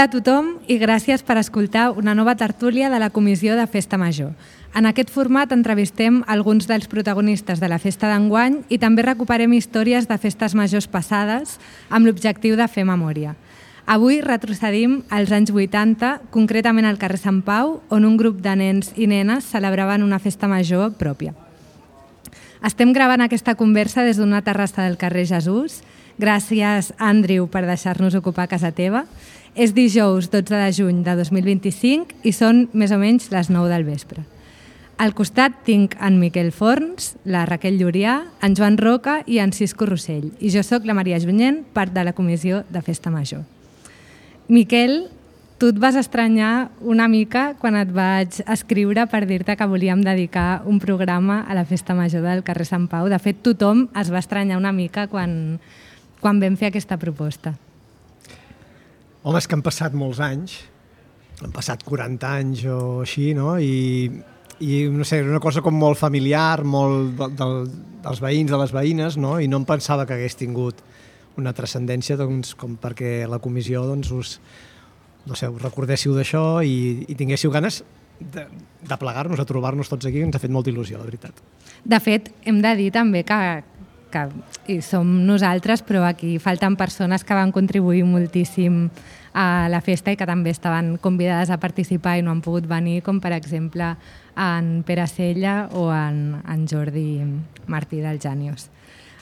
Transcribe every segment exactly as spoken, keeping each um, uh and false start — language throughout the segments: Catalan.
Hola a tothom i gràcies per escoltar una nova tertúlia de la Comissió de Festa Major. En aquest format entrevistem alguns dels protagonistes de la festa d'enguany i també recuperem històries de festes majors passades amb l'objectiu de fer memòria. Avui retrocedim als anys vuitanta, concretament al carrer Sant Pau, on un grup de nens i nenes celebraven una festa major pròpia. Estem gravant aquesta conversa des d'una terrassa del carrer Jesús. Gràcies, Andrew, per deixar-nos ocupar casa teva. És dijous dotze de juny de dos mil vint-i-cinc i són més o menys les nou del vespre. Al costat tinc en Miquel Forns, la Raquel Llurià, en Joan Roca i en Cisco Rossell. I jo sóc la Maria Junyent, part de la Comissió de Festa Major. Miquel, tu et vas estranyar una mica quan et vaig escriure per dir-te que volíem dedicar un programa a la Festa Major del carrer Sant Pau. De fet, tothom es va estranyar una mica quan, quan vam fer aquesta proposta. Home, és que han passat molts anys, han passat quaranta anys o així, no? I, i no sé, era una cosa com molt familiar, molt de, de, dels veïns, de les veïnes, no? I no em pensava que hagués tingut una transcendència, doncs, com perquè la comissió doncs, us, no sé, us recordéssiu d'això i, i tinguéssiu ganes de, de plegar-nos, a trobar-nos tots aquí, ens ha fet molta il·lusió, la veritat. De fet, hem de dir també que, que i som nosaltres, però aquí falten persones que van contribuir moltíssim a la festa i que també estaven convidades a participar i no han pogut venir, com per exemple en Pere Sella o en, en Jordi Martí del Genius.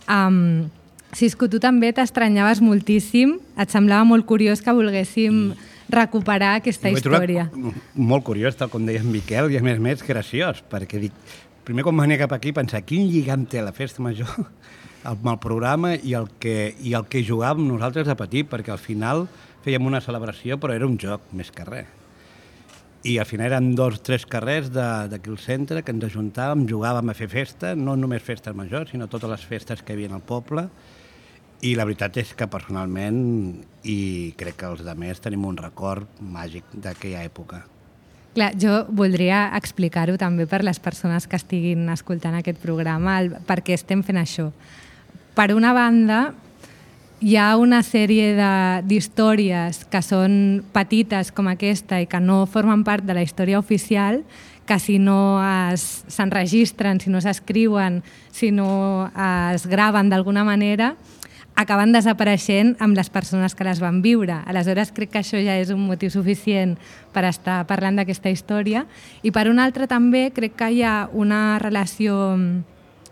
Um, Cisco, tu també t'estranyaves moltíssim, et semblava molt curiós que volguéssim recuperar aquesta història. Molt curiós, tal com deia en Miquel, i a més més graciós, perquè dic, primer quan venia cap aquí pensar quin lligam té la festa major amb el programa i el que, i el que jugàvem nosaltres de petit, perquè al final fèiem una celebració, però era un joc més que res. I al final eren dos o tres carrers d'aquí al centre que ens ajuntàvem, jugàvem a fer festa, no només festes majors, sinó totes les festes que hi havia al poble. I la veritat és que personalment, i crec que els altres tenim un record màgic d'aquella època. Clar, jo voldria explicar-ho també per les persones que estiguin escoltant aquest programa, el, per què estem fent això. Per una banda, hi ha una sèrie d'històries que són petites com aquesta i que no formen part de la història oficial, que si no s'enregistren, si no s'escriuen, si no es graven d'alguna manera, acaben desapareixent amb les persones que les van viure. Aleshores, crec que això ja és un motiu suficient per estar parlant d'aquesta història. I per un altre també crec que hi ha una relació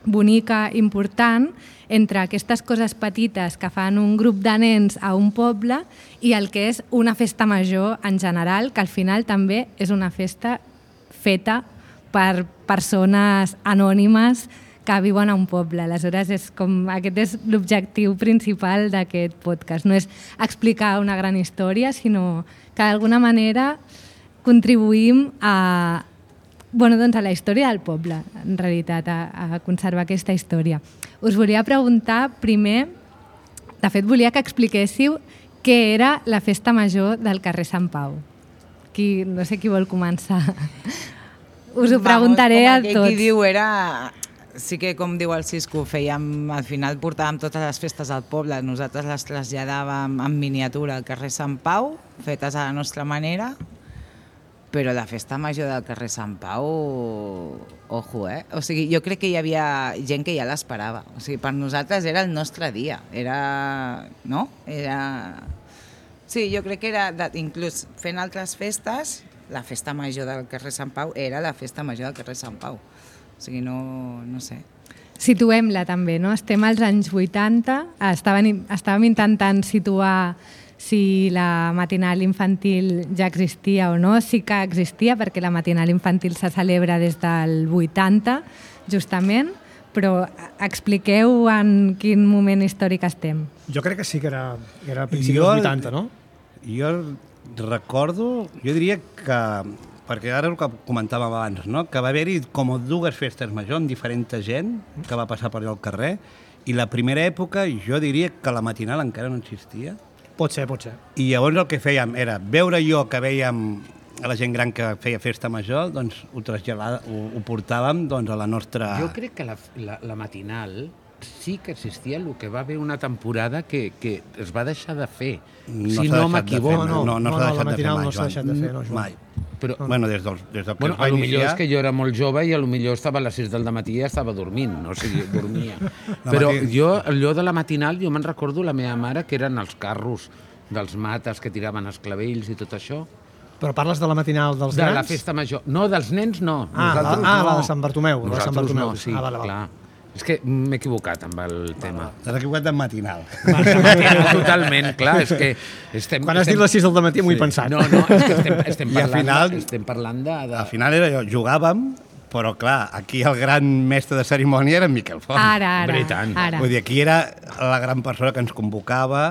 bonica, important, entre aquestes coses petites que fan un grup de nens a un poble i el que és una festa major en general, que al final també és una festa feta per persones anònimes que viuen a un poble. Aleshores, és com, aquest és l'objectiu principal d'aquest podcast. No és explicar una gran història, sinó que d'alguna manera contribuïm a, bueno, doncs a la història del poble, en realitat, a, a conservar aquesta història. Us volia preguntar primer, de fet volia que expliquéssiu què era la festa major del carrer Sant Pau. Qui, no sé qui vol començar. Us ho preguntaré a tots. Com aquell qui diu era... Sí que, com diu el Cisco, fèiem, al final portàvem totes les festes al poble, nosaltres les traslladàvem en miniatura al carrer Sant Pau, fetes a la nostra manera, però la festa major del carrer Sant Pau, ojo, eh? O sigui, jo crec que hi havia gent que ja l'esperava. O sigui, per nosaltres era el nostre dia, era... no? Era... Sí, jo crec que era, inclús fent altres festes, la festa major del carrer Sant Pau era la festa major del carrer Sant Pau. O sigui, no, no sé. Situem-la també, no? Estem als anys vuitanta, estàvem, estàvem intentant situar si la matinal infantil ja existia o no. Sí que existia, perquè la matinal infantil se celebra des del vuitanta, justament, però expliqueu en quin moment històric estem. Jo crec que sí que era, era a principis dels vuitanta, no? Jo recordo, jo diria que... perquè ara el que comentàvem abans, no? Que va haver-hi com dues festes majors amb diferent gent que va passar per allà al carrer, i la primera època jo diria que la matinal encara no existia. Pot ser, pot ser. I llavors el que fèiem era veure jo que vèiem a la gent gran que feia festa major, doncs ho traslladàvem, ho, ho portàvem doncs, a la nostra... Jo crec que la, la, la matinal sí que existia, el que va haver una temporada que, que es va deixar de fer, No si s'ha no deixat de m'equivoco. fer, No, no, no, no, s'ha no, la deixat de fer matinal mai, no s'ha Joan. deixat de fer, no, Joan. Mai. Però, Bueno, des del, des del que bueno, es va a lo millor iniciar... és que jo era molt jove i a lo millor estava a les sis del matí i ja estava dormint, no? O sigui, dormia. La Però mati- jo, allò de la matinal, jo me'n recordo la meva mare, que eren els carros dels mates que tiraven els clavells i tot això. Però parles de la matinal dels De grans? la festa major. No, dels nens no. Ah, la, Nosaltres ah, no. la de Sant Bartomeu. La de Sant Nosaltres Bartomeu. no, sí, ah, vale, vale. clar. És que m'he equivocat amb el tema. T'has equivocat de matinal. Totalment, clar, és que estem... Quan has estem... dit les sis del matí m'ho he pensat. No, no, és que estem, estem, I al parlant, final- de, estem parlant de... de... Al final era jo, jugàvem, però clar, aquí el gran mestre de cerimònia era en Miquel Font. Ara, ara, Hombre, i tant. ara. Vull dir, aquí era la gran persona que ens convocava,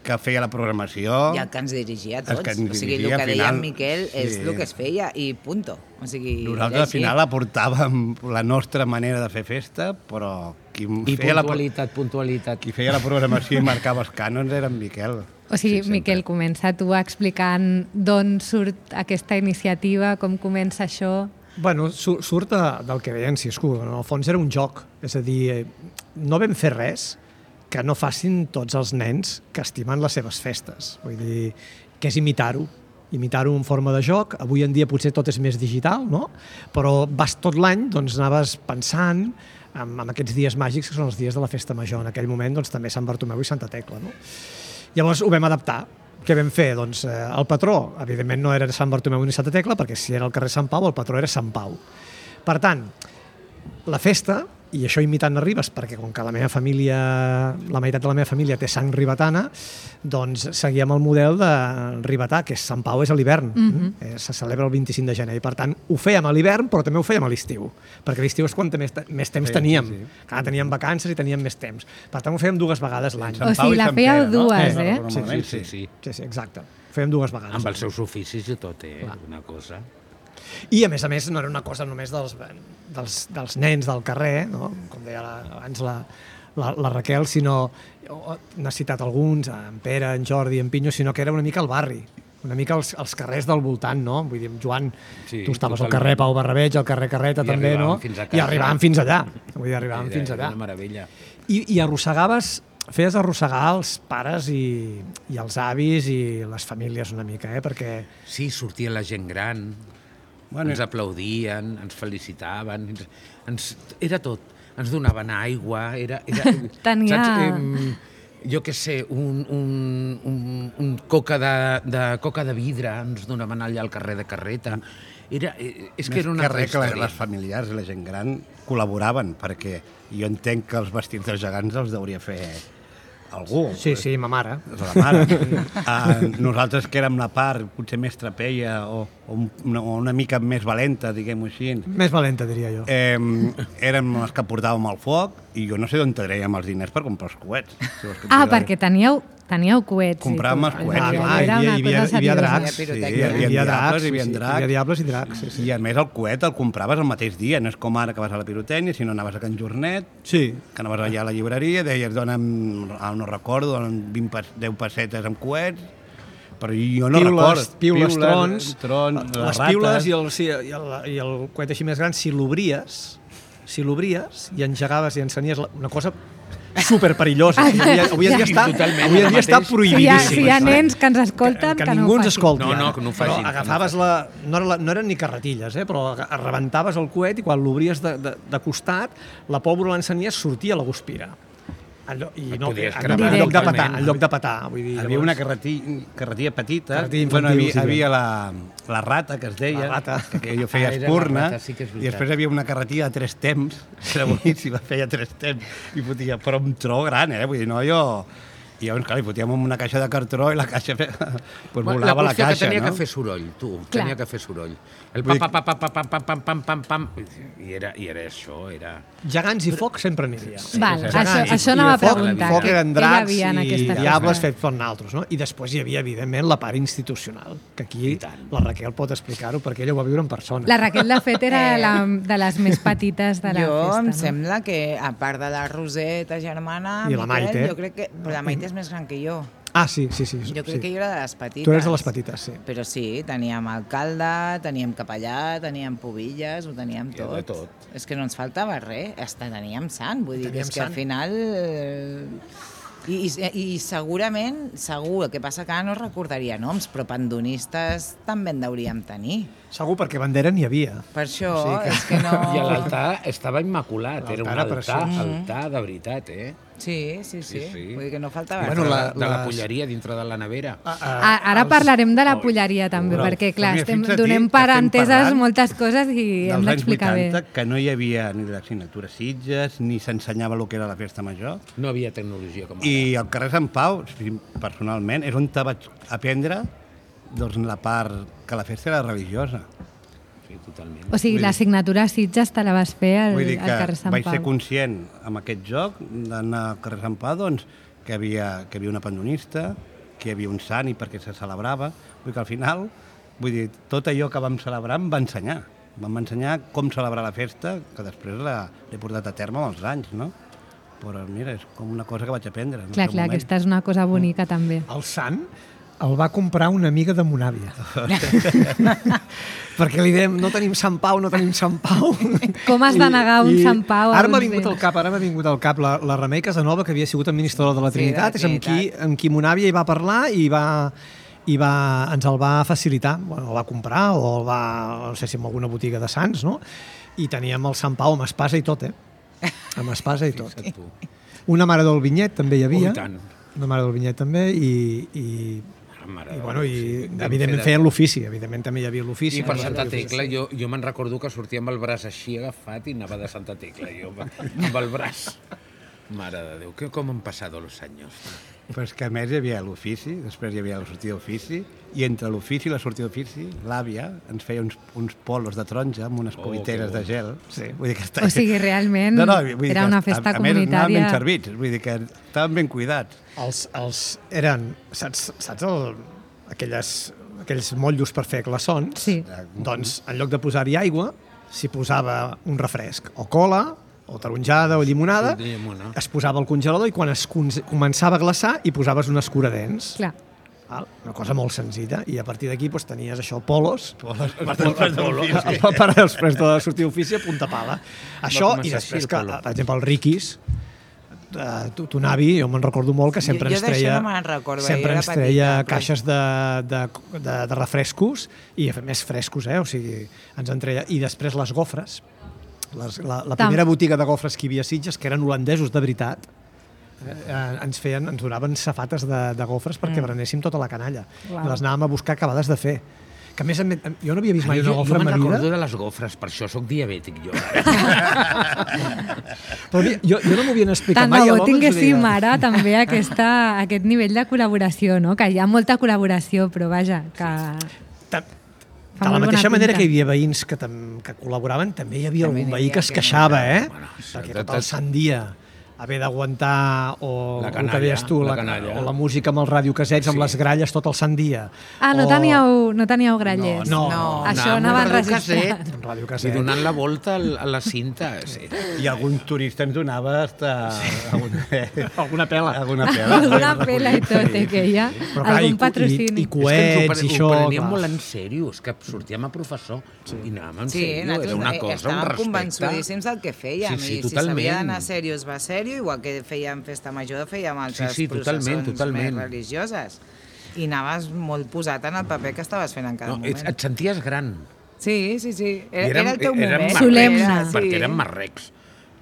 que feia la programació... I el que ens dirigia a Els tots. que ens O sigui, el dirigia, que al deia final, en Miquel és sí. el que es feia i punto. O sigui, Nosaltres era al així. final aportàvem la nostra manera de fer festa, però qui I feia, la, puntualitat, puntualitat. qui feia la programació i marcava els cànons era en Miquel. O sigui, Sí, sempre. Miquel, comença tu explicant d'on surt aquesta iniciativa, com comença això... Bueno, su- surt de, del que deia en Cisco. En el fons era un joc. És a dir, eh, no vam fer res que no facin tots els nens que estimen les seves festes. Vull dir, que és imitar-ho. Imitar-ho en forma de joc. Avui en dia potser tot és més digital, no? Però vas tot l'any, doncs anaves pensant en, en aquests dies màgics que són els dies de la festa major. En aquell moment, doncs, també Sant Bartomeu i Santa Tecla, no? Llavors ho vam adaptar. Què vam fer? Doncs eh, el patró, evidentment no era Sant Bartomeu ni Santa Tecla, perquè si era el carrer Sant Pau, el patró era Sant Pau. Per tant, la festa, i això imitant a Ribes, perquè com que la meva família, la meitat de la meva família té sang ribetana, doncs seguíem el model de ribetà, que és Sant Pau és a l'hivern, Mhm. eh, se celebra el vint-i-cinc de gener, i per tant ho fèiem a l'hivern, però també ho fèiem a l'estiu, perquè l'estiu és quan més, més temps Sí, teníem, sí, sí. clar, teníem vacances i teníem més temps, per tant ho fèiem dues vegades l'any. Sant O Pau sigui, i la Sant fèieu Pere, no? dues, Sí, eh? normalment, Sí, sí, sí. Sí, sí, exacte, ho fèiem dues vegades. Amb els seus oficis i tot, eh? Clar. Una cosa... I, a més a més, no era una cosa només dels, dels, dels nens del carrer, no? Com deia la, abans la, la, la Raquel, sinó, n'ha citat alguns, en Pere, en Jordi, en Pinyo, sinó que era una mica el barri, una mica els, els carrers del voltant, no? Vull dir, Joan, Sí, tu estaves al totalment. carrer Pau Barrabeig, al carrer Carreta I també, no? arribàvem fins a I casa. arribàvem fins allà. Vull dir, arribàvem Era, fins era allà. una meravella. I, i arrossegaves, feies arrossegar els pares i, i els avis i les famílies una mica, eh? Perquè Sí, sortia la gent gran, Bueno, ens aplaudien, ens felicitaven, ens, ens, era tot. Ens donaven aigua, era... era Tenia- Saps? Em, jo què sé, un, un, un, un coca, de, de coca de vidre ens donaven allà al carrer de Carreta. Era, eh, és que Més era una que altra res que història. les familiars i la gent gran col·laboraven, perquè jo entenc que els vestits dels gegants els hauria fer algú. sí, sí, ma mare. La mare. uh, nosaltres que érem la part potser més trapeia o, o, una, o una mica més valenta, diguem-ho així, Més valenta, diria jo. eh, érem els que portàvem el foc i jo no sé d'on traiem els diners per comprar els coets. Si vols que et Ah, digui. perquè teníeu, teníeu coets. i Compràvem tot. els coets, Ah, sí. clar, Era hi una havia- hi havia- cosa hi havia seriosa. dracs. Sí, pirotècnica. hi havia, Hi havia diables, dracs, hi havia sí, sí, dracs. hi havia diables i dracs, sí, sí. I a més el coet el compraves el mateix dia, no és com ara que vas a la pirotècnia, sinó anaves a Can Jornet, Sí, que anaves allà a la llibreria, deies, dona'm, ah, no recordo, dona'm vint, pas- deu pessetes amb coets, però jo no piules, recordo. piules, trons, trons les rates. piules i el, sí, i, el, i el coet així més gran, si l'obries, si l'obries i engegaves i encenies la, una cosa super perillosa. Avui, avui en dia està, Totalment, avui en dia el està mateix. Si hi, ha, prohibidíssim. si hi ha això. nens que ens escolten, que, que, que no ningú ho ens facin. escolti. No, no, ja. que no ho Però facin, que no ho agafaves la... No, era la, no eren ni carretilles, eh, però aga- rebentaves el coet i quan l'obries de, de, de costat, la pólvora l'encenies, sortia la guspira. En lloc, i Et no, podies en, cremar en lloc de totalment. petar, en lloc de petar. Vull dir, Hi havia llavors- una carretilla, carretilla petita, Carretilla bueno, infantil, hi havia, sí, hi havia la, la rata, que es deia, La rata. que jo feia Ah, era la espurna, rata, sí que és i veritat. després hi havia una carretilla de tres temps, que era boníssima, feia tres temps, i fotia, però un tro gran, eh? Vull dir, no, jo... I llavors, clar, li fotíem una caixa de cartró i la caixa fe... pues La volava la, qüestió caixa, que tenia no? que fer soroll, tu, Clar. tenia que fer soroll. El Vull pam, dir- pam, pam, pam, pam, pam, pam, pam, pam, pam, i era, i era això, era... Gegants i foc sempre n'hi havia. Val, sí, sí. això, Gegants i- això i anava a de foc, preguntar. Foc què- eren què hi dracs havia en i aquesta diables festa? fets per naltros, no? I després hi havia, evidentment, la part institucional, que aquí la Raquel pot explicar-ho, perquè ella ho va viure en persona. La Raquel, de fet, era Eh. la, de les més petites de la jo festa. em no? sembla que, a part de la Roseta germana, I la Miquel, Maite. jo crec que... Però la Maite és més gran que jo. Ah, sí, sí, sí. Jo crec sí. que jo era de les petites. Tu eres de les petites, sí. Però sí, teníem alcalde, teníem capellà, teníem pubilles, ho teníem I de tot. tot. És que no ens faltava res, hasta teníem sant, vull dir, Teníem és que sant. al final... eh, I, i, I segurament, segur, el que passa que ara no recordaria noms, però pandonistes també en hauríem tenir. Segur, perquè bandera n'hi havia. Per això, O sigui que- és que no... I l'altar estava immaculat, era un L'altar era altar, preciós. altar de veritat, eh? Sí, sí, sí, Sí, sí. vull dir que no faltava Bueno, res. la- de, de la les- polleria dintre de la nevera. Ah, Ah, Ara parlarem de la polleria també, Però, perquè clar, mira, estem, fixa't donem que per estem enteses parlant moltes coses i hem dels anys d'explicar bé. vuitanta, que no hi havia ni l'assignatura Sitges, ni s'ensenyava el que era la festa major. No havia tecnologia com ara. I al carrer Sant Pau, sí, personalment, és on te vaig aprendre doncs, la part que la festa era religiosa. Sí, totalment. O sigui, l'assignatura Sitges te la vas fer al, Vull dir al que carrer Sant vaig Pau. ser conscient amb aquest joc d'anar al carrer Sant Pau doncs, que, havia, que hi havia una pandonista, que hi havia un sant i perquè se celebrava. Vull dir que al final, vull dir, tot allò que vam celebrar em va ensenyar. Vam ensenyar com celebrar la festa, que després l'he portat a terme amb els anys, no? Però mira, és com una cosa que vaig aprendre. En Clar, el seu clar, moment. aquesta és una cosa bonica també. El sant el va comprar una amiga de mon àvia. Perquè li dèiem, no tenim Sant Pau, no tenim Sant Pau. Com has de negar un I- Sant Pau a Ara m'ha uns vingut béns? al cap, ara m'ha vingut al cap la, la Remei Casanova, que havia sigut administradora de la Sí, de la Trinitat, és amb qui, Trinitat. amb qui mon àvia hi va parlar i va, i va, ens el va facilitar. Bueno, el va comprar o el va, no sé si en alguna botiga de Sants, no? I teníem el Sant Pau amb espasa i tot, eh? Amb espasa i tot. Fixa't tu. Una mare del Vinyet també hi havia. Oh, i tant. Una mare del Vinyet també i, i, Mare i, de bueno, Déu, i sí. Vam evidentment fer de- feien l'ofici, evidentment també hi havia l'ofici. I per També hi Santa havia l'ofici. Tecla, jo, jo me'n recordo que sortia amb el braç així agafat i anava de Santa Tecla, jo, amb el braç. Mare de Déu, que com han passat els anys. Però és que a més hi havia l'ofici, després hi havia la sortida d'ofici, i entre l'ofici i la sortida d'ofici, l'àvia ens feia uns, uns polos de taronja amb unes Oh, cubiteres que bo. de gel. Sí. Vull dir que està... O sigui, realment vull dir era que una a- festa a, més, anaven comunitària. ben servits, vull dir que estaven ben cuidats. Els, els eren, saps, saps el, aquelles, aquells motllos per fer glaçons? Sí. Doncs en lloc de posar-hi aigua, s'hi posava un refresc, o cola, o taronjada, o llimonada, Sí, llimona. es posava al congelador i quan es con- començava a glaçar hi posaves un escuradents. Clar. Val? Una cosa molt senzilla. I a partir d'aquí doncs, tenies això, polos, Polos, per, per, per, per, per després de sortir d'ofici a punta pala. Això, començar i així, després el que, polo. per exemple, el Riquis, eh, tu- ton avi, jo me'n recordo molt que sempre Jo- ens jo d'això treia, no me'n recordo, sempre jo era ens treia petita, però- caixes de, de, de, de refrescos, i més frescos, eh? O sigui, ens en treia. I després les gofres, les, la, la Tam- primera botiga de gofres que hi havia a Sitges, que eren holandesos de veritat, eh, ens feien, ens donaven safates de, de gofres perquè mm. berenéssim tota la canalla. Uau. I les anàvem a buscar acabades de fer. Que a més, a més, jo no havia vist mai jo, una jo gofra en me'n ma recordo vida. de les gofres, per això sóc diabètic, jo. Però mira, jo, jo no m'ho havien explicat Tant mai. de bo l'home ens ho tinguéssim deia. ara també aquesta, aquest nivell de col·laboració, no? Que hi ha molta col·laboració, però vaja, que... Ta- Fa De la molt mateixa bona manera pinta. que hi havia veïns que, tam, que col·laboraven, també hi havia També algun n'hi veí havia que es que no. queixava, eh? Bueno, sí, Perquè tot- tot el sant dia haver d'aguantar o La el canalla, que deies tu, la la, canalla. o la música amb els radiocasets, amb Sí. les gralles tot el sant dia. Ah, no o... teníeu, no teníeu grallers? No, No, Això anàvem anava amb un enregistrat. radiocaset Un i radiocaset. donant la volta al- a la cinta. Sí. I algun turista ens donava hasta alguna, Alguna pela. alguna pela. Alguna pela i tot, eh, que hi ha Però clar, i- algun i- patrocini. i- És que Coets ens i ho, pre- això, ho preníem clar. molt en sèrio, és que sortíem a professor sí. i anàvem en Sí, sèrio, nosaltres era una eh, cosa, un estàvem respecte. convençudíssims del que fèiem. Sí, sí, I si totalment. s'havia d'anar sèrio, es va sèrio, igual que fèiem festa major, fèiem altres Sí, sí, totalment, processons totalment. més religioses. I anaves molt posat en el paper que estaves fent en cada No, moment. et, et senties gran. Sí, sí, sí. Era, I era el teu érem moment. marrecs, Solemne. Era, perquè érem marrecs.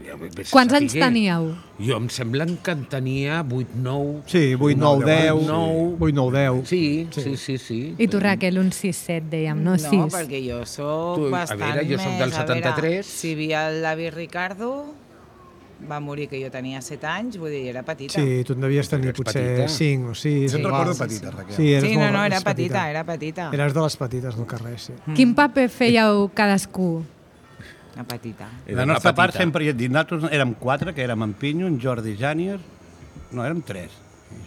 Ja, vés a Quants anys saber. teníeu? Jo em sembla que en tenia vuit, nou... Sí, vuit, nou, deu. nou. vuit, nou, deu. Sí, sí, sí, sí. I tu, Raquel, un sis set, dèiem, no No, sis. perquè jo sóc Tu, a bastant veure, jo sóc més... del a veure, setanta-tres. Si hi havia l'avi Ricardo, va morir que jo tenia set anys, vull dir, era petita. Sí, tu en devies tenir Ets potser petita. cinc o sis. Jo et igual. recordo Sí, petita, sí. Raquel. Sí, eres Sí, no, molt- no, era eres petita, era petita. Eres de les petites del carrer, sí. Quin paper fèieu cadascú? Una petita. La nostra part sempre, ja et dic, nosaltres érem quatre, que érem en Pinyo, en Jordi Jànier, no, érem tres.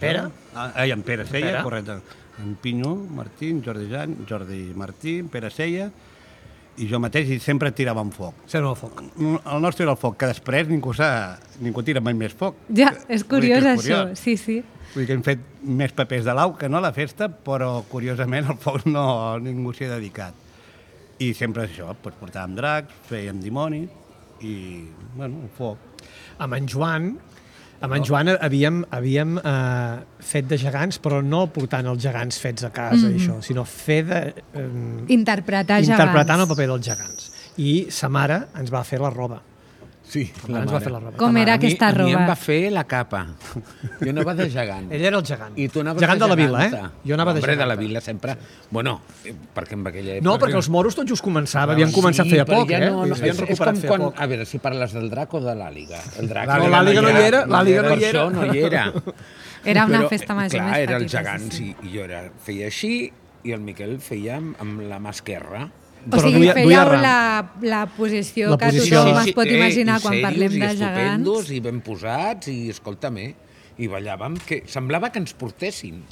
Pere? Ah, i en Pere Sella, Pere? correcte. En Pinyo, Martí, en Jordi Jan, Jordi Martí, en Pere Sella, i jo mateix, i sempre tiràvem foc. Sempre el foc. El nostre era el foc, que després ningú, ningú tira mai més foc. Ja, és curiós, és això, curiós. sí, sí. Vull dir que hem fet més papers de l'au que no a la festa, però curiosament al foc no ningú s'hi ha dedicat. I sempre això, doncs portàvem dracs, fèiem dimoni i, bueno, el foc. Amb en Joan, amb en Joan havíem, havíem eh, fet de gegants, però no portant els gegants fets a casa, mm. això, sinó fer de... Eh, interpretar gegants. Interpretant el paper dels gegants. I sa mare ens va fer la roba. Sí, la ens va fer la roba. Com era a mi, aquesta roba? A mi em va fer la capa. Jo anava de gegant. Ell era el gegant. I tu anaves gegant de, de la vila, geganta. eh? Jo anava de Hombre, geganta. de la vila sempre... Bueno, perquè en aquella època... No, perquè els moros tot just començava, havien començat sí, feia poc, ja eh? no, no, Havien és, és recuperat com feia quan... poc. A veure, si parles del drac o de l'àliga. El drac No, l'àliga no hi era, l'àliga no hi Per era. això no hi era. Era una Però, festa major clar, més petita. era el gegant, sí, sí. I jo era, feia així i el Miquel feia amb, amb la mà esquerra. O sigui, duia, fèieu duia ram. la, la posició La que posició. tothom Sí, es sí, pot imaginar i quan serios, parlem de i estupendos, gegants. i ben posats, i escolta'm, eh, i ballàvem, que semblava que ens portessin.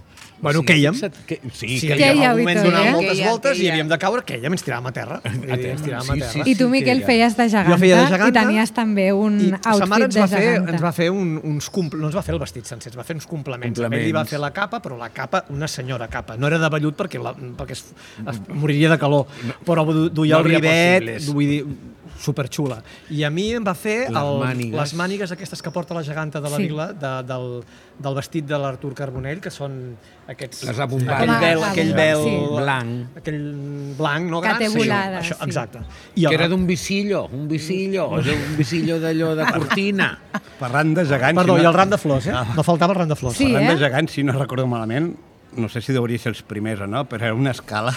Bueno, quèiem. Que, sí, Sí, que Quèieu en algun i moment tot, donàvem eh? moltes Quèiem, voltes i quèiem. havíem de caure, quèiem, ens tiràvem a terra. A terra, Ens tiràvem sí, a terra. sí, I tu, Miquel, feies de geganta, Jo feia de geganta, i tenies també un I sa mare outfit ens de va fer, geganta. ens va fer un, uns compl... no ens va fer el vestit sencer, ens va fer uns complements. Complements. Ell li va fer la capa, però la capa, una senyora capa. No era de vellut perquè, la, perquè es, es moriria de calor, però du- duia No el havia rivet, possibles. vull dir, superxula. I a mi em va fer Les el, mànigues. les mànigues aquestes que porta la geganta de la Sí. vila, de, del, del vestit de l'Artur Carbonell, que són aquests... Les abombades. Aquell vel, Com a aquell abombades, vel... sí. Blanc. Aquell blanc, no Que gran? té Sí, volada, això, sí. exacte. I Que el- era d'un visillo, un visillo, un visillo d'allò de cortina. Parlant de gegants... Perdó, si i no- el ram de flors, eh? No faltava el ram de flors. Sí, Parlant eh? de gegants, si no recordo malament, no sé si hauria ser els primers o no, però era una escala,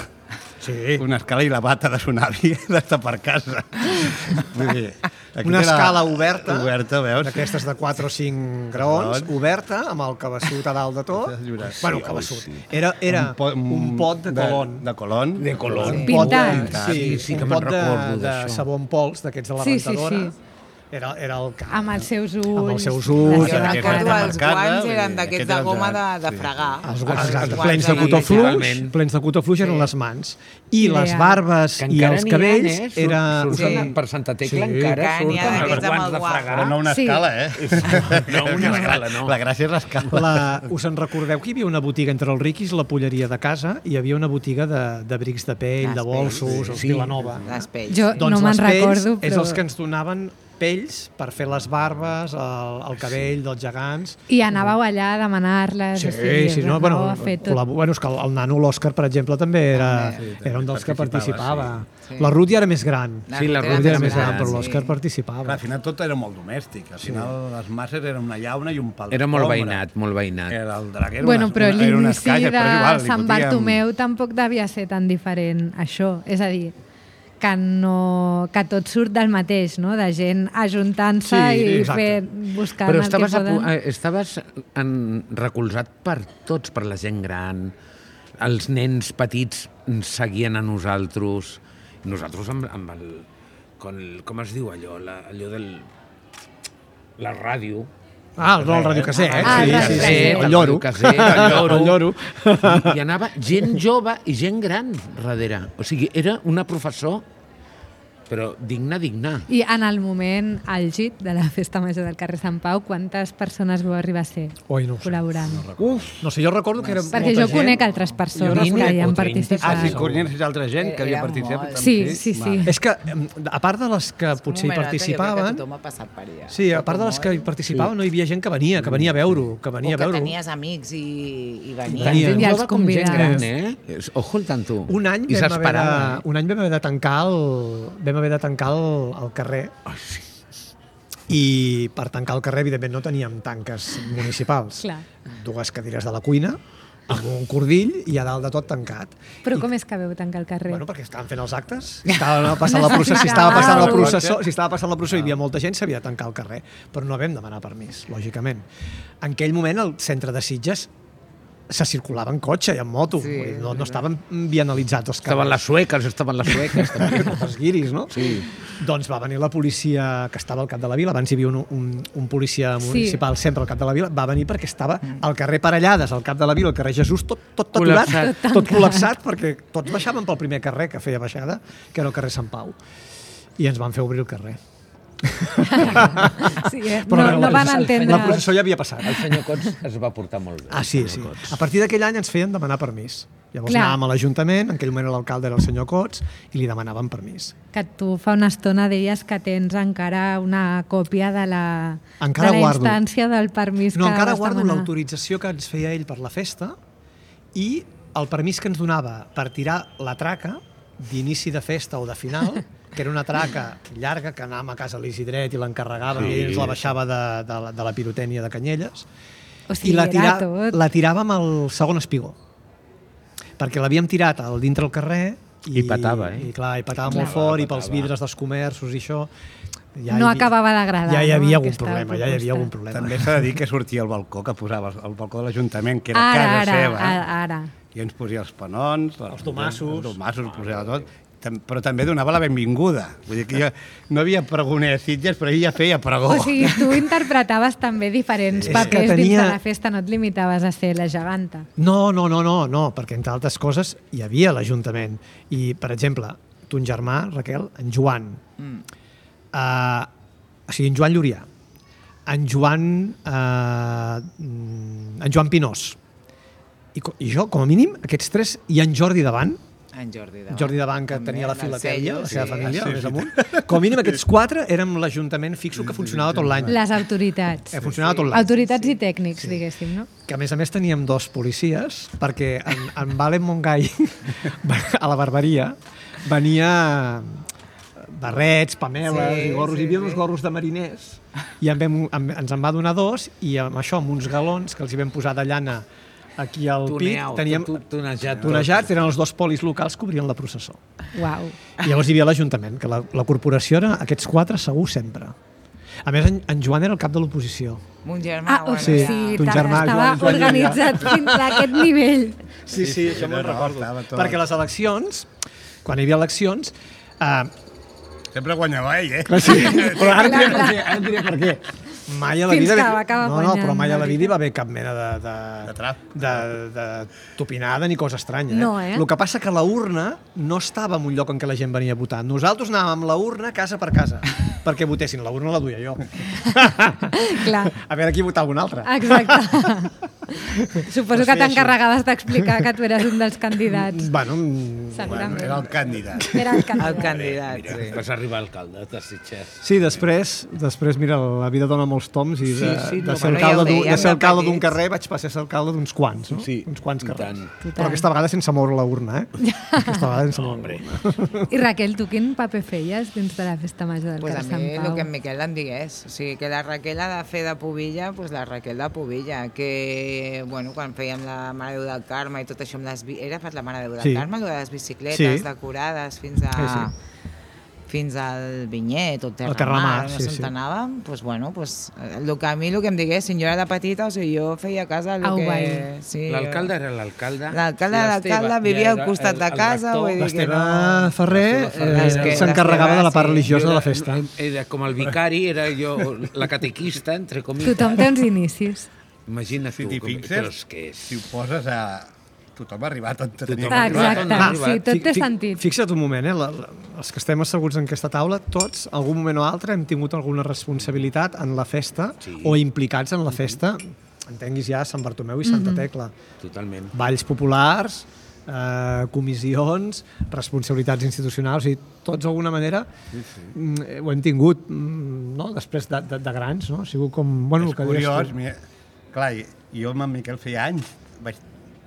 Sí. una escala i la bata de son avi d'estar per casa. Vull dir, aquest Una era escala oberta, oberta, veus? d'aquestes de quatre o cinc graons, Graons. oberta, amb el cabeçut a dalt de tot. Sí, Bueno, sí, cabeçut. sí. Era, era po- un pot de colon. De colon. De colon. Un Sí. pot de, Pintat. sí, Sí, un que me'n pot de, recordo de d'això. sabó en pols, d'aquests de la Sí, sí, rentadora. sí. Era, era el cap. Amb els seus ulls. Amb els seus ulls, Jo Aquesta recordo era els marcada, guants vull eren dir, d'aquests aquest de era el goma de, gegant, de sí. fregar. Els, Els exacte, guants plens de eren cotó fluix, literalment. plens de cotó fluix eren Sí. les mans. I les Ideal. barbes Que i encara els n'hi ha, cabells eh? Surt- era... surten Sí. per Santa Tecla, Sí. encara Que n'hi ha surten d'aquests els amb guants el de guant. fregar. Però no una Sí. escala, eh? No, una La- escala, no. La gràcia és l'escala. La, us en recordeu que hi havia una botiga entre els riquis, la polleria de casa, i hi havia una botiga de, de brics de pell, Les de bolsos, pells, els sí. Vilanova. Les pells. Jo Doncs no me'n les pells recordo, és però... els que ens donaven pells per fer les barbes, el, el cabell dels gegants. I anàveu allà a demanar-les. Sí, o sigui, sí, no, anàveu bueno, a fer tot. col·labo- bueno, és que el, el nano, l'Òscar, per exemple, també era, També. Sí, era un dels que participava, participava. sí. La Ruth ja era més gran. La Sí, la Ruth Ruth Ruth era era més gran, gran, però sí. l'Òscar participava. Clar, al final tot era molt domèstic. Al final les masses eren una llauna i un pal Era molt d'ombra. veïnat, molt veïnat. Era el drac, era Bueno, una, però una, era unes l'inici caixes, de però és igual, li Sant fotíem- Bartomeu tampoc devia ser tan diferent, això. És a dir, que, no, que tot surt del mateix, no? De gent ajuntant-se Sí, i exacte. fer, buscant Però el estaves, que a, pu- poden. eh, estaves en, recolzat per tots, per la gent gran. Els nens petits ens seguien a nosaltres. Nosaltres amb, amb el, com, com es diu allò? La, allò del... La ràdio. Ah, no, el radiocasset, eh? Ah, sí, el sí, sí, radiocasset. el lloro. Casset, el lloro. El lloro. I, I anava gent jove i gent gran darrere. O sigui, era una professor, però digna, digna. I en el moment àlgid de la festa major del carrer Sant Pau, quantes persones vau arribar a ser Oi, no ho sé. col·laborant? Uf, no sé, jo recordo que era Perquè molta jo gent. conec altres persones vint que hi o han trenta. participat. Ah, sí, coneixes altra gent que havia Era participat. molt. Sí, sí, sí. És que, em, a part de les que potser hi Un moment, Jo crec participaven... que tothom ha passat per allà. Sí, a part de les que hi participaven, no hi havia gent que venia, que venia a veure-ho, que O venia a que veure-ho. tenies amics i, i Tant venies. Tenia. gent I els jove com gent gran, convidats. eh? És- Ojo el tanto. Un any, I vam haver, s'esperava. de, un any vam haver de tancar el, vam haver de tancar el, el carrer. Ai, sí. I per tancar el carrer, evidentment, no teníem tanques municipals. Clar. Dues cadires de la cuina, amb un cordill i a dalt de tot tancat. Però com és que veu tancar el carrer? Bueno, perquè estaven fent els actes, si estava passant la processó, si estava passant la processó, si estava passant la processó i hi havia molta gent, s'havia de tancar el carrer, però no vam demanar permís, lògicament. En aquell moment el centre de Sitges se circulava en cotxe i en moto, Sí, no, no estaven vianalitzats els Estaven carrers. les sueques, estaven les sueques. també. Els guiris, no? Sí. Doncs va venir la policia que estava al cap de la vila, abans hi havia un, un, un policia municipal sí. sempre al cap de la vila, va venir perquè estava al carrer Parellades, al cap de la vila, al carrer Jesús, tot, tot, tot aturat, Col·lapsat. tot col·lapsat, perquè tots baixaven pel primer carrer que feia baixada, que era el carrer Sant Pau. I ens van fer obrir el carrer. Sí, eh? Però no, no van la, entendre... La processó ja havia passat. El senyor Cots es va portar molt bé. Ah, sí, el sí. senyor Cots. A partir d'aquell any ens feien demanar permís. Llavors Clar. anàvem a l'Ajuntament, en aquell moment l'alcalde era el senyor Cots, i li demanaven permís. Que tu fa una estona deies que tens encara una còpia de la, Encara de la guardo. instància del permís No, que encara vas guardo demanar. l'autorització que ens feia ell per la festa i el permís que ens donava per tirar la traca d'inici de festa o de final, que era una traca llarga que anàvem a casa a l'Isidret i l'encarregàvem Sí. i ell ens la baixava de, de, la, de la pirotènia de Canyelles. O sigui, I la, era tot. la tiràvem al segon espigó. Perquè l'havíem tirat al dintre el carrer i, I petava, eh? I clar, i petava Clar, molt fort, i petava. pels vidres dels comerços i això. Ja No hi havia- acabava d'agradar, Ja hi no, havia algun aquesta problema, ja hi havia proposta. algun problema. També s'ha de dir que sortia al balcó que posava, el balcó de l'Ajuntament, que era Ara, casa ara, seva. ara, ara. I ens posia els panons, Els domassos. els domassos, posava tot, Tam- però també donava la benvinguda. Vull dir que jo no havia pregoner a Sitges, però ell ja feia pregó. O sigui, tu interpretaves també diferents És papers que dins tenia- de la festa, no et limitaves a ser la geganta. No, no, no, no, no, perquè entre altres coses hi havia l'Ajuntament. I, per exemple, ton germà, Raquel, en Joan, Mm. uh, o sigui, en Joan Llurià, en Joan, uh, en Joan Pinós, i, co- i jo, com a mínim, aquests tres, i en Jordi davant, En Jordi Davant. Jordi Davant, que També, tenia la del filatèlia, sello, la seva sí. família, Sí, més sí. amunt. Com a mínim aquests quatre érem l'Ajuntament fixo que funcionava tot l'any. Les autoritats. Eh, funcionava tot l'any. Autoritats i tècnics, diguéssim, no? Que a més a més teníem dos policies, perquè en, en Valen Montgai, a la barberia, venia barrets, pameles Sí, i gorros, sí, hi havia sí. uns gorros de mariners, i en vam, en, ens en va donar dos, i amb això, amb uns galons que els hi vam posar de llana aquí al pit, Tuneau, teníem tu- tu- tunejat. tunejats, eren els dos polis locals que obrien la processó. Uau. I llavors hi havia l'Ajuntament, que la, la corporació era aquests quatre segur sempre. A més, en, en Joan era el cap de l'oposició. Mon germà, Ah, o bueno, sí. sigui, ton ta- germà, estava Joan- Joan organitzat fins a aquest nivell. Sí, sí, això me'n no, no, recordo. estava tot. Perquè les eleccions, quan hi havia eleccions, eh, Sempre guanyava ell, eh? sí, però ara et diré per què. Ara et diré per què. Mai a la Fins vida... que va acabar no, no, guanyant, però mai a la la vida hi va haver cap mena de... De, De trap. De, de topinada ni cosa estranya. Eh? No, eh? El que passa que la urna no estava en un lloc en què la gent venia a votar. Nosaltres anàvem amb la urna casa per casa perquè votessin. La urna la duia jo. Clar, A veure qui votava un altre. exacte. Suposo Pues que sí, t'encarregaves d'explicar que tu eres un dels candidats. Bueno, mm, Segurament. Era el candidat. Era el el candidat. candidat, sí. Vas arribar alcalde de Sitges. sí, després, després, mira, la vida dona molts toms i de, Sí, sí, de no, ser bueno, ja ho alcalde d'un- dèiem de ser de alcalde d'un petits. carrer vaig passar a ser alcalde d'uns quants, no? Sí, Uns quants i carrers. tant. Però aquesta vegada sense moure la urna, eh? Aquesta vegada sense moure la urna. I Raquel, tu quin paper feies dins de la festa major del Pues a carrer mi Sant el Pau? que en Miquel em digués. O sigui, que la Raquel ha de fer de pubilla, pues la Raquel de pubilla. Que, bueno, quan fèiem la Mare de Déu del Carme i tot això amb les... bi- Era per la Mare de Déu del Sí. Carme, allò de les bicicletes Sí. decorades fins a... Sí, sí. fins al Vinyet o Terramar, Terramar, no sí, sé sí. on anàvem, doncs, bueno, pues, el que a mi el que em diguessin, jo era de petita, o sigui, jo feia a casa el Au, que... guai. Sí, L'alcalde era l'alcalde. L'alcalde i de l'Esteve l'alcalde ja vivia al era costat el- de el casa, rector. vull dir que L'Esteve no... Ferrer L'Esteve eh, Ferrer. s'encarregava de la part Sí. religiosa Jo de la era- festa. Era com el vicari, era jo la catequista, entre comites. Tothom té uns inicis. Imagina't Si tu, t'hi com, però fixes, és que és... si ho poses a... Tothom ha arribat on tenia Tothom que ha Ah, arribar. exacte, Va, sí, tot Fi- té fi- sentit. Fixa't un moment, eh? La, la, els que estem asseguts en aquesta taula, tots, algun moment o altre, hem tingut alguna responsabilitat en la festa Sí. o implicats en la festa, entenguis ja Sant Bartomeu i Santa Tecla. Totalment. Balls populars, eh, comissions, responsabilitats institucionals, i tots d'alguna manera mm, ho hem tingut mm, no? després de, de, de grans, no? Ha sigut com... Bueno, És el que deies curiós, tu. mira, clar, i- jo amb en Miquel feia anys, vaig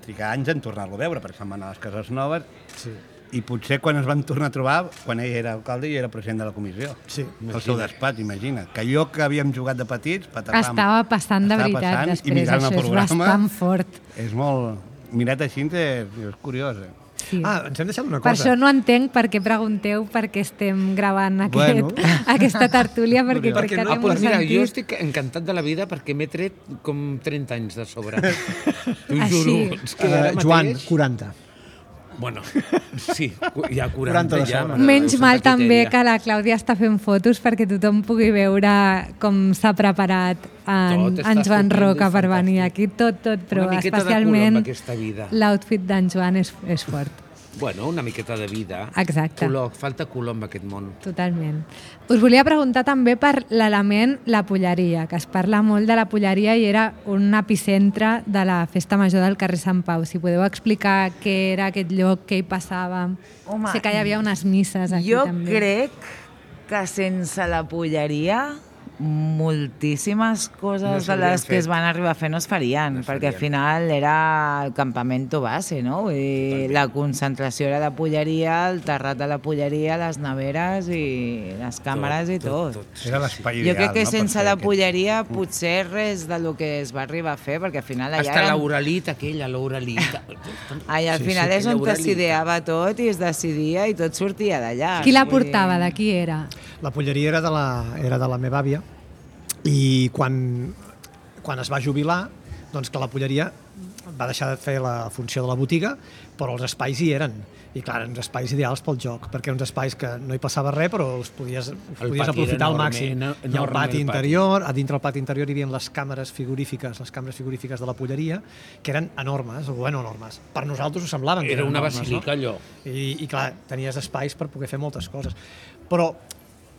trigar anys en tornar-lo a veure, perquè se'n va anar a les Cases Noves, Sí. i potser quan es van tornar a trobar, quan ell era alcalde i era president de la comissió. Sí, El seu despatx, imagina't. Que allò que havíem jugat de petits, patapam, Estava passant de estava veritat passant, i després, mirant això el és programa, bastant fort. És molt... Mirat així és, és curiós, eh? sí. Ah, ens hem deixat una Per cosa. això no entenc per què pregunteu per què estem gravant aquest, Bueno. aquesta tertúlia, perquè Perquè crec que no- té Ah, molt doncs mira, sentit. jo estic encantat de la vida perquè m'he tret com trenta anys de sobre. T'ho Així. juro. És que ara Uh, Joan, mateix... quaranta. Bueno, sí, hi ha quaranta, quaranta de ja. sobre. m'agrada Menys Santa mal també Quiteria. que la Clàudia està fent fotos perquè tothom pugui veure com s'ha preparat en, Tot està en Joan estupendo, Roca per fantàstic. venir aquí. Tot, tot, però Una miqueta de especialment color amb aquesta vida. l'outfit d'en Joan és, és fort. Bueno, una miqueta de vida. Exacte. Color, falta color en aquest món. Totalment. Us volia preguntar també per l'element la polleria, que es parla molt de la polleria i era un epicentre de la festa major del carrer Sant Pau. Si podeu explicar què era aquest lloc, què hi passava. Home, sé que hi havia unes misses aquí jo també. crec que sense la polleria moltíssimes coses No de s'haurien les que fet. es van arribar a fer no es farien, No es perquè al farien. final era el campamento base, no? Vull dir, la concentració era de polleria, el terrat de la polleria, les neveres i les càmeres i tot. Era l'espai Jo ideal, crec que no? per sense fer la aquest- polleria potser res de lo que es va arribar a fer, perquè al final allà Hasta eren... l'Auralit, aquella, l'Auralit. Allà al Sí, final sí, és on aquella s'ideava tot i es decidia i tot sortia d'allà. Qui la Vull dir- portava? De qui era? La polleria era de la, era de la meva àvia i quan, quan es va jubilar, doncs que la polleria va deixar de fer la funció de la botiga, però els espais hi eren. I clar, eren uns espais ideals pel joc, perquè uns espais que no hi passava res, però els podies, els El podies pati aprofitar era al enorme, màxim. eno- I el enorme pati el pati. interior, a dintre del pati interior hi havia les càmeres frigorífiques, les càmeres frigorífiques de la polleria, que eren enormes, o bueno, enormes. Per nosaltres ho semblaven que Era eren una enormes, basílica, no? allò. I, I clar, tenies espais per poder fer moltes coses. Però,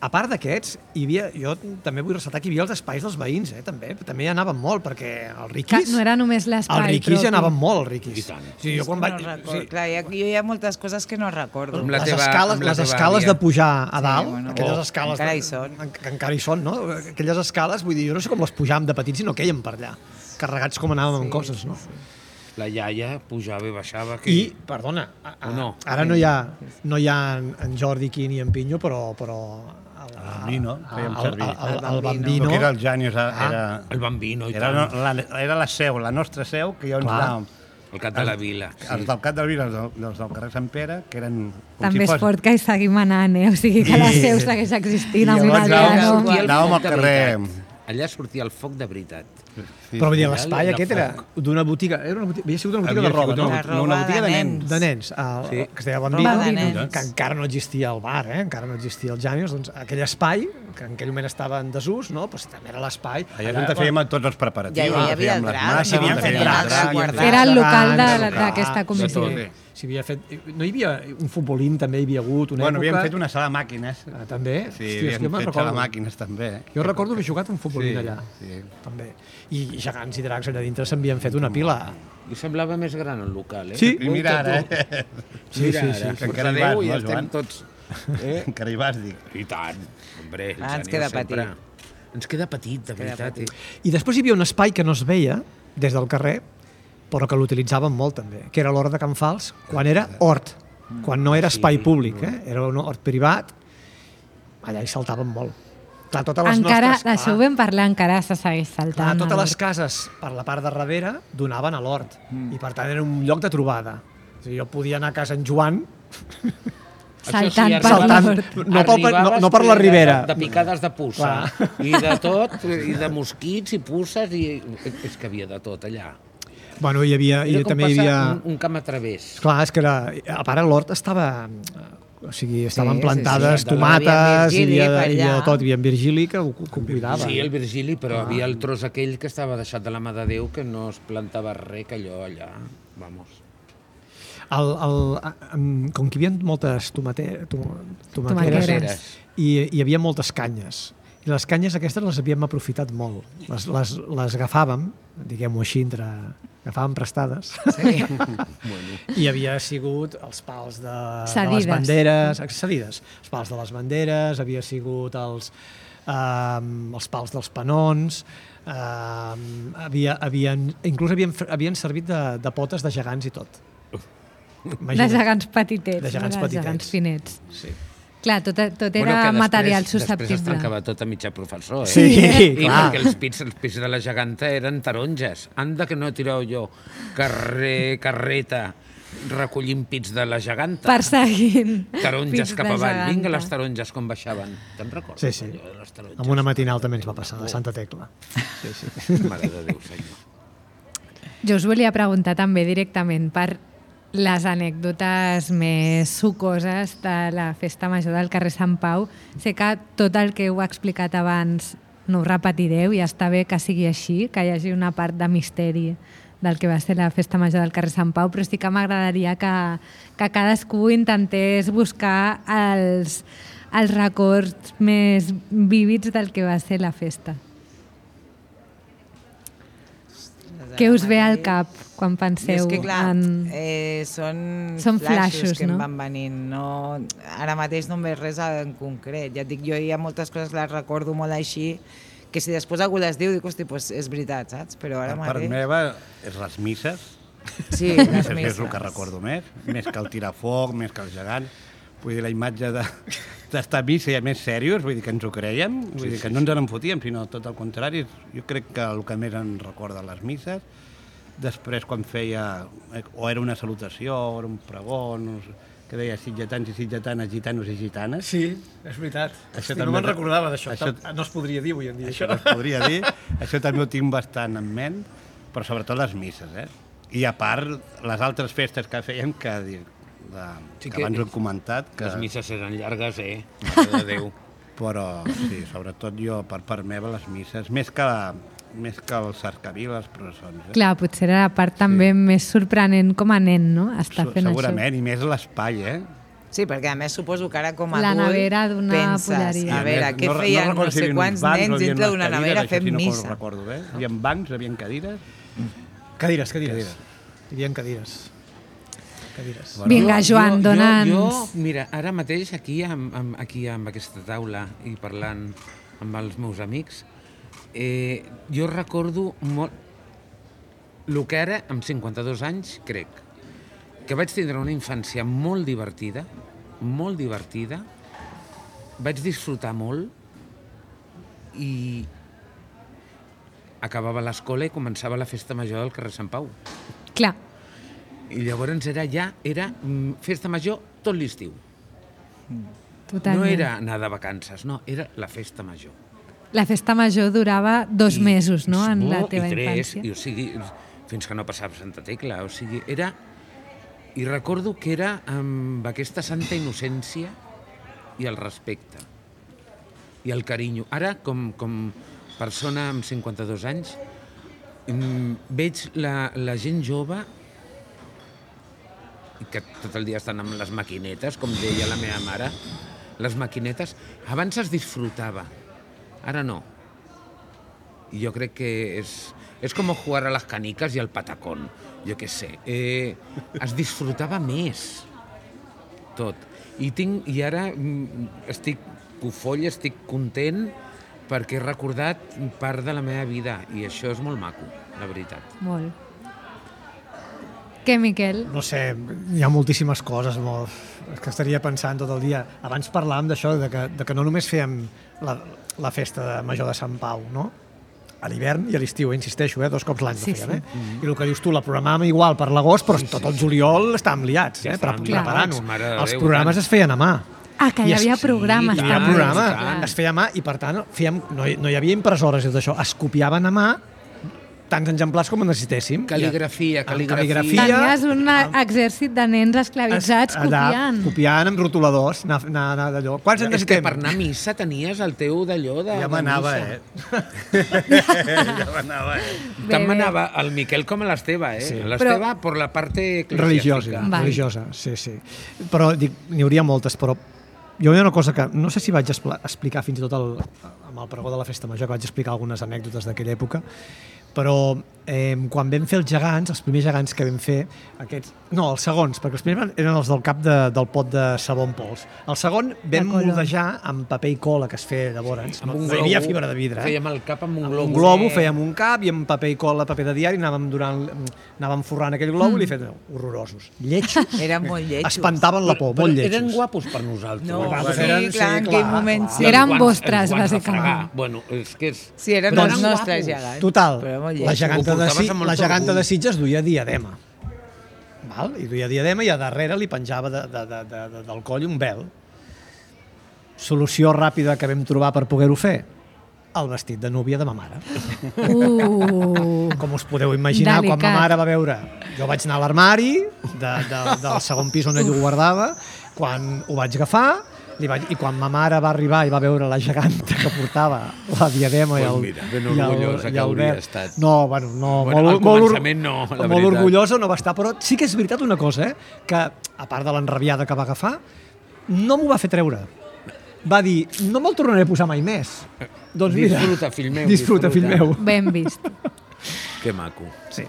a part d'aquests, hi havia, jo també vull ressaltar que hi havia els espais dels veïns, eh, també. També hi anaven molt, perquè els Que riquis... no era només l'espai Els riquis propi. hi anaven molt, els riquis. I tant. Sí, jo quan no vaig... recordo. sí, Clar, hi ha, jo hi ha moltes coses que no recordo. Amb la les teva- escales, amb la les teva escales àvia. de pujar a Sí, dalt, bueno. aquelles Oh, escales... encara de- hi són. en- Que encara hi són, no? Aquelles escales, vull dir, jo no sé com les pujàvem de petits i no queien per allà. Carregats com anàvem amb coses, no? La iaia pujava i baixava. Que... I, perdona, a, a, O no? ara no hi ha, no hi ha en, en Jordi aquí ni en Pinyo, però... però el, El Bambino, fèiem el, servir. el, el, el El Bambino... que era el Janius, era, Ah, el Bambino i era, tant. la, era la seu, la nostra seu, que jo ens Clar. anàvem. El cap de la vila. Sí. Els del Cap de la Vila, els del, dels del carrer Sant Pere, que eren... com També si és fort que hi seguim anant, eh? O sigui que la seu segueix existint amb I un llavors altre anàvem- nom. Sortia el Anàvem foc al de carrer. veritat. Allà sortia el foc de veritat. Sí, Però vull dir, sí. l'espai Era aquest era foc. d'una botiga... Era una botiga havia sigut una botiga Havia de roba, sigut no? una De roba una botiga de de nens. nens. De nens, el, Sí. que es deia Roba Bambino, de nens. que encara no existia el bar, eh? encara no existia el Janius, doncs aquell espai, que en aquell moment estava en desús, no? Pues també era l'espai. Allà és on fèiem tots els preparatius. Ja hi havia fèiem el les drac, masses, no? fèiem Tenien el altres drac, guardats. Era el local de- Grans, d'aquesta clar, comissió. de tot. Si havia fet, no hi havia un futbolín, també hi havia hagut una Bueno, època... havíem fet una sala de màquines. Ah, també? Sí, Hòstia, és que havíem jo me'n fet sala de recordo. màquines, també. Jo recordo haver jugat un futbolín Sí, allà. sí. També. I gegants i dracs allà dintre s'havien fet una pila. I semblava més gran el local, eh? Sí. I mira ara, Molta eh? Sí, Mira sí, ara, sí, per sí. Encara hi Déu, vas, i no, estem Joan? tots... Eh? Encara hi vas, dic. I tant, hombre. el Ah, ens Jani queda sempre. petit. Ens queda petit, de Queda veritat. petit. eh? I després hi havia un espai que no es veia des del carrer, però que l'utilitzaven molt també, que era l'hort de Can Fals, quan era hort, quan no era espai Sí. públic, eh? Era un hort privat, allà hi saltaven molt. Clar, totes les Encara, nostres... això ho vam parlar, encara se segueix Clar, saltant. totes no? les cases per la part de darrere donaven a l'hort mm. i per tant era un lloc de trobada. O sigui, jo podia anar a casa en Joan Saltant Això per Saltant. l'hort. No pel- no- Arribaves no per la ple de- ribera. De, de picades de puça. I de tot, i de mosquits i puces, i és que havia de tot allà. Bueno, hi havia, Era i com també hi passar havia... un, un camp a través. Clar, és que era... A part, l'hort estava... O sigui, estaven sí, plantades sí. tomates, Hi havia hi Virgili havia, per hi havia allà. de tot, hi havia en Virgili que ho, que ho cuidava. Sí, el Virgili, però havia el tros aquell que estava deixat de la mà de Déu, que no es plantava res, que allò allà... Vamos. El, el, em, com que hi havia moltes tomate, tom, tomaqueres, Tomaqueres. i hi havia moltes canyes. I les canyes aquestes les havíem aprofitat molt. Les, les, les agafàvem, diguem-ho així, entre, agafàvem prestades. Sí. I havia sigut els pals de, de Cedides. les banderes, cedides. Els pals de les banderes, havia sigut els, um, els pals dels penons, um, havia, havien, inclús havien, havien servit de, de potes de gegants i tot. De gegants petitets, De gegants no de petitets. gegants finets. Sí. Clar, tot, tot Bueno, era que després- material Després es susceptible. tancava tot a mitjà professor, eh? Sí, I clar. perquè els pits, els pits de la geganta eren taronges. Anda que no tireu jo. Carrer, carreta, recollint pits de la geganta. Perseguint Taronges pits cap de avall. geganta. Vinga, les taronges com baixaven. Te'n recordes? Sí, sí. allò de les taronges? Amb una matinal també ens va passar, de Santa Tecla. Sí, sí. Mare de Déu, senyor. Jo us volia preguntar també directament per les anècdotes més sucoses de la Festa Major del carrer Sant Pau. Sé que tot el que heu explicat abans no ho repetireu i està bé que sigui així, que hi hagi una part de misteri del que va ser la Festa Major del carrer Sant Pau, però sí que m'agradaria que, que cadascú intentés buscar els, els records més vívids del que va ser la festa. Què us ve al cap quan penseu és que, clar, en... eh, són, Són flashes, flashes, que no? em van venint. No, ara mateix no em ve res en concret. Ja et dic, jo hi ha moltes coses que les recordo molt així, que si després algú les diu, dic, hosti, doncs és veritat, saps? Però ara Per part mateix... meva, és les misses. Sí, Les les misses és el misses. que recordo més, més que el tirafoc, més que el gegant. Vull dir, la imatge de, d'estar a missa ja més serios, vull dir que ens ho creiem, vull sí, dir que sí, no ens en fotíem, sinó tot el contrari. Jo crec que el que més en recorda les misses. Després, quan feia, o era una salutació, o era un pregó, no sé, que deia sitgetans i sitgetanes, gitanos i gitanes. Sí, és veritat. Això Hosti, també- no me'n recordava d'això. això- No es podria dir avui en dia, Això això. no es podria dir. Això també ho tinc bastant en ment, però sobretot les misses, eh? I a part, les altres festes que fèiem, que, de, Sí que, que- abans ho he comentat, que, Les misses eren llargues, eh? Mare de Déu. però sí, sobretot jo, per part meva, les misses, més que, més que els cercaviles, les processons. Eh? Clar, potser era la part també més sorprenent com a nen, no? Estar Se- fent Segurament, i més l'espai, eh? Sí, perquè a més suposo que ara com a La adult nevera d'una penses, polleria. a veure, què no, feien no, recordo si sé hi havia quants uns bancs o nens hi havia dintre unes d'una cadires, nevera això fent sí no missa. ho recordo bé. Hi havia bancs, hi havia cadires. Cadires, cadires. Hi havia cadires. Cadires. Vinga, Joan, jo, dona'ns... Jo, jo, mira, ara mateix aquí amb, amb, aquí amb aquesta taula i parlant amb els meus amics, eh, jo recordo molt el que ara, amb cinquanta-dos anys, crec, que vaig tindre una infància molt divertida, molt divertida, vaig disfrutar molt i acabava l'escola i començava la festa major del carrer Sant Pau. Clar, I llavors era ja, era mm, festa major tot l'estiu. totalment. No era anar de vacances, no, era la festa major. La festa major durava dos I- mesos, no?, en la no, teva i tres, infància. I, o sigui, fins que no passava Santa Tecla, o sigui, era... I recordo que era amb aquesta santa innocència i el respecte i el carinyo. Ara, com, com persona amb cinquanta-dos anys, mm, veig la, la gent jove que tot el dia estan amb les maquinetes, com deia la meva mare, les maquinetes, abans es disfrutava, ara no. I jo crec que és, és com jugar a les canicas i al patacón, jo què sé. Eh, es disfrutava més, tot. I, tinc, i ara mm, estic cofoll, estic content perquè he recordat part de la meva vida i això és molt maco, la veritat. Molt. Què, Miquel? No sé, hi ha moltíssimes coses, molt... és que estaria pensant tot el dia. Abans parlàvem d'això, de, que, de que no només fèiem la, la festa de major de Sant Pau, no? A l'hivern i a l'estiu, eh? Insisteixo, eh? Dos cops l'any Sí, la fèiem, sí. eh? Mm-hmm. I el que dius tu, la programàvem igual per l'agost, però tot el juliol estàvem liats, Ja eh? Pre- estàvem Preparant-ho. liats, mare de Els Déu, programes tant. es feien a mà. Ah, que hi I es- havia programes sí, Hi havia també. programa, tant. es feia a mà i per tant fèiem, no, hi, no hi havia impressores i tot això, es copiaven a mà tants exemplars com en necessitéssim. Cal·ligrafia, Amb cal·ligrafia. cal·ligrafia. Tenies un exèrcit de nens esclavitzats allà, copiant. copiant amb rotuladors, anar, anar, anar d'allò. Quants en És que necessitem? per anar a missa tenies el teu d'allò de, Ja de m'anava, missa. eh? Ja m'anava, eh? Bé, Tant bé. m'anava el Miquel com a l'Esteve, eh? Sí. L'Esteve per la part Religiosa, Vale. religiosa, sí, sí. Però dic, n'hi hauria moltes, però jo hi ha una cosa que no sé si vaig expl- explicar fins i tot el, amb el pregó de la Festa Major, que vaig explicar algunes anècdotes d'aquella època, però eh, quan vam fer els gegants, els primers gegants que vam fer, aquests, no, els segons, perquè els primers eren els del cap de, del pot de sabó en pols. El segon vam color. moldejar amb paper i cola, que es feia llavors. Amb No, un no hi havia globo, fibra de vidre. Eh? Fèiem el cap amb un Amb globo. un globo, fèiem un cap i amb paper i cola, paper de diari, anàvem, durant, anàvem forrant aquell globo Mm. i li fèiem horrorosos. Lletjos. Eren molt lletjos. Espantaven la por, molt lletjos. Eren guapos per nosaltres. No, Bueno, sí, eren- clar, sí, en aquell clar, moment clar. sí. Eren Els guants- vostres, els guants de bàsicament. fregar. Bueno, és que és... Sí, eren Però els eren nostres guapos. gegants. Total, Però molt la lletjos. geganta, Ho de, portaves si, amb molt la geganta orgull. de Sitges duia diadema. val? I duia diadema i a darrere li penjava de, de, de, de, de, del coll un vel. Solució ràpida que vam trobar per poder-ho fer? El vestit de núvia de ma mare. Uh, Com us podeu imaginar, delicat. quan ma mare va veure... Jo vaig anar a l'armari de, de, del segon pis on ell ho guardava, quan ho vaig agafar, li vaig, i quan ma mare va arribar i va veure la geganta que portava la diadema Pues i el, mira, ben i el- orgullosa i que el hauria vel. estat. No, bueno, no, Bueno, molt, al molt, or- començament no, la molt veritat. orgullosa no va estar, però sí que és veritat una cosa, eh? Que a part de l'enrabiada que va agafar, no m'ho va fer treure. Va dir, no me'l tornaré a posar mai més. Doncs mira, Disfruta, fill meu, Disfruta, fill meu. disfruta. ben vist. Que maco. Sí.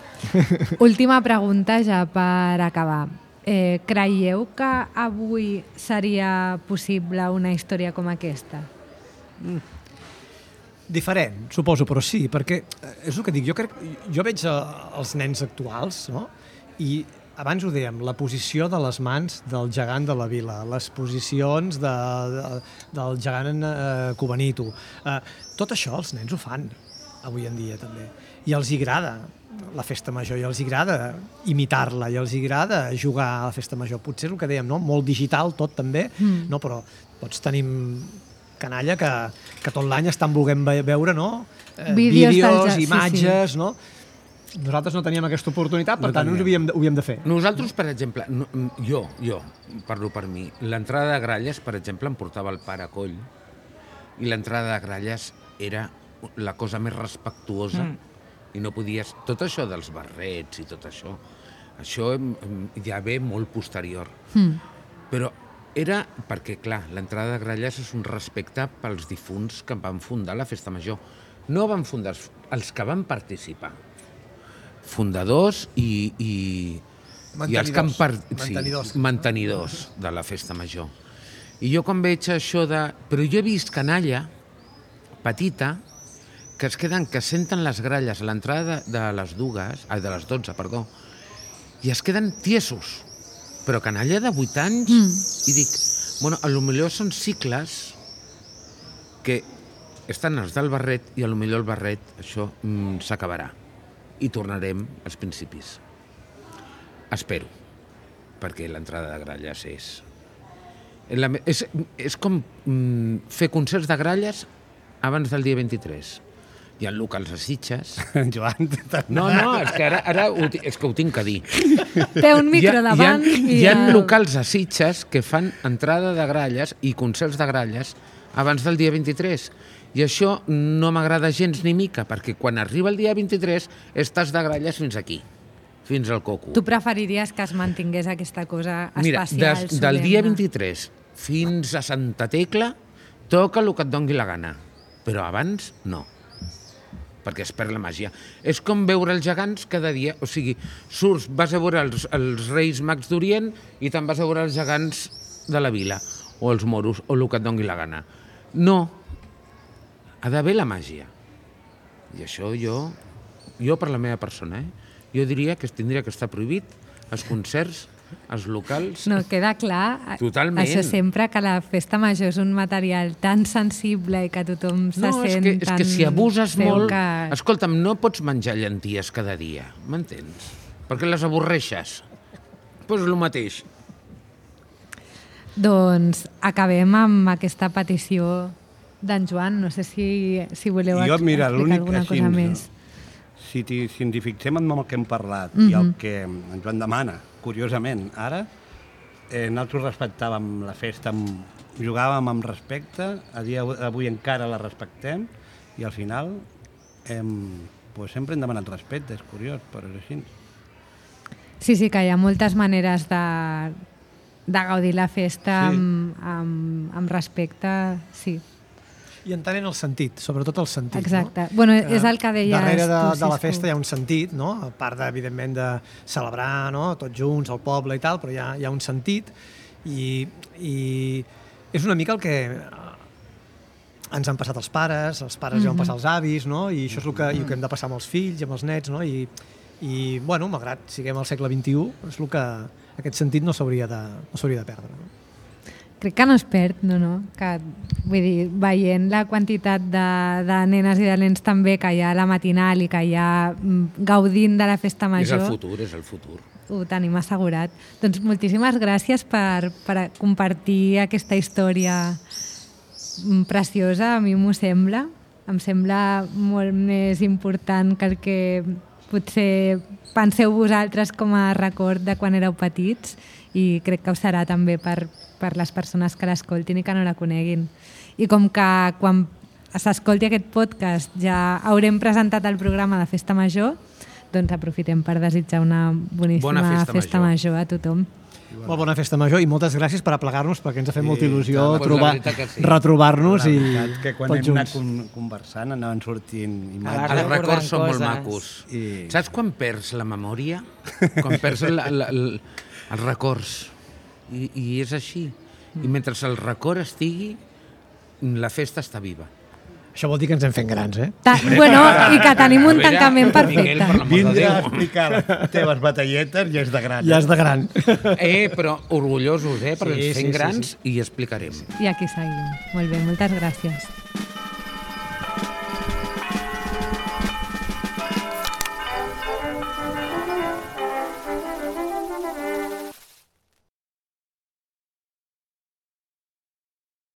Última pregunta ja per acabar. Eh, creieu que avui seria possible una història com aquesta? Diferent, suposo, però sí, perquè eh, és el que dic, jo crec, jo veig eh, els nens actuals, no? I abans ho dèiem, la posició de les mans del gegant de la vila, les posicions de, de, del gegant eh, Cubanito, eh, tot això els nens ho fan avui en dia també, i els hi agrada la festa major, i els hi agrada imitar-la, i els hi agrada jugar a la festa major. Potser és el que dèiem, no? Molt digital tot també, mm. no? Però tots tenim canalla que, que tot l'any estan volent ve- veure, no? Eh, Vídeos vídeos, del ja- sí, imatges, no? Nosaltres no teníem aquesta oportunitat, per No tant, teníem. ho havíem, de, ho havíem de fer. Nosaltres, per exemple, no, jo, jo, parlo per mi, l'entrada de gralles, per exemple, em portava el pare a coll, i l'entrada de gralles era la cosa més respectuosa, mm. i no podies... Tot això dels barrets i tot això, això em- em- ja ve molt posterior. Mm. Però era perquè, clar, l'entrada de gralles és un respecte pels difunts que van fundar la festa major. No van fundar els, els que van participar. Fundadors i, i, i els que han par... Mantenidors. Sí, mantenidors de la festa major. I jo quan veig això de... Però jo he vist canalla petita que es queden, que senten les gralles a l'entrada de, de les dues, ai, de les dotze, perdó, i es queden tiesos. Però canalla de vuit anys, mm. i dic, bueno, a lo millor són cicles que estan els del barret i a lo millor el barret, això, mm, s'acabarà. I tornarem als principis. Espero, perquè l'entrada de gralles és... La, és, és com mm, fer concerts de gralles abans del dia vint-i-tres. Hi ha locals a Sitges. Joan, No, no, és que ara, ara ho, ti- és que ho tinc a dir. Té un micro hi ha, davant hi ha, i... hi ha el- locals a Sitges que fan entrada de gralles i concerts de gralles abans del dia vint-i-tres. I això no m'agrada gens ni mica, perquè quan arriba el dia vint-i-tres estàs de gralles fins aquí, fins al coco. Tu preferiries que es mantingués aquesta cosa Mira, especial, des, del dia solemne? vint-i-tres fins a Santa Tecla toca el que et dongui la gana, però abans no, perquè es perd la màgia. És com veure els gegants cada dia, o sigui, surts, vas a veure els, els Reis Mags d'Orient i te'n vas a veure els gegants de la vila, o els moros, o el que et dongui la gana. No, ha d'haver la màgia. I això jo, jo per la meva persona, eh? jo diria que es tindria que estar prohibit els concerts, els locals... No, queda clar. Totalment. Això sempre, que la festa major és un material tan sensible i que tothom se No, és sent que, és tan que si abuses seu molt... Que... Escolta'm, no pots menjar llenties cada dia, m'entens? Perquè les avorreixes. Doncs pues el mateix. Doncs acabem amb aquesta petició d'en Joan. No sé si, si voleu jo, mira, explicar l'únic alguna així, cosa més. Si, ti- si ens hi fixem en el que hem parlat Mhm. i el que en Joan demana, curiosament, ara, eh, nosaltres respectàvem la festa, amb, jugàvem amb respecte, a dia d'avui encara la respectem, i al final hem, pues, sempre hem demanat respecte, és curiós, però és així. Sí, sí, que hi ha moltes maneres de, de gaudir la festa Sí. amb, amb, amb respecte, sí. I entenent el sentit, sobretot el sentit. Exacte. No? Bueno, és el que deies Darrere de, tu, de la Cisco. festa hi ha un sentit, no? A part, de, evidentment, de celebrar, no? Tots junts, el poble i tal, però hi ha, hi ha un sentit i, i és una mica el que ens han passat els pares, els pares mm -hmm. ja han passat els avis, no? I això és el que, i el que hem de passar amb els fills i amb els nets, no? I, i bueno, malgrat siguem al segle vint-i-u, és el que aquest sentit no s'hauria de, no s'hauria de perdre. No? Crec que no es perd, no, no, que vull dir, veient la quantitat de, de nenes i de nens també que hi ha a la matinal i que hi ha mm, gaudint de la festa major... És el futur, és el futur. Ho tenim assegurat. Doncs moltíssimes gràcies per, per compartir aquesta història preciosa, a mi m'ho sembla. Em sembla molt més important que el que potser penseu vosaltres com a record de quan éreu petits, i crec que ho serà també per, per les persones que l'escoltin i que no la coneguin. I com que quan s'escolti aquest podcast ja haurem presentat el programa de Festa Major, doncs aprofitem per desitjar una boníssima Bona festa, festa major. major a tothom. Molt bona festa major i moltes gràcies per aplegar-nos, perquè ens ha fet Sí, molta il·lusió doncs la trobar, veritat que sí. retrobar-nos La i veritat que quan tots hem anat junts. con- conversant anaven sortint Ara imatges. Els recordant records són molt coses. macos. I- Saps quan perds la memòria? Quan perds la, la, la, els records. I, I és així. I mentre el record estigui, la festa està viva. Això vol dir que ens hem fet grans, eh? Ta bueno, i que tenim un A veure, tancament Miquel, perfecte. per l'amor de Vindre a Déu. explicar les teves batalletes ja és de gran. Ja és de gran. Eh, però orgullosos, eh? Perquè Sí, ens sí, fem sí, grans sí. i explicarem. I aquí seguim. Molt bé, moltes gràcies.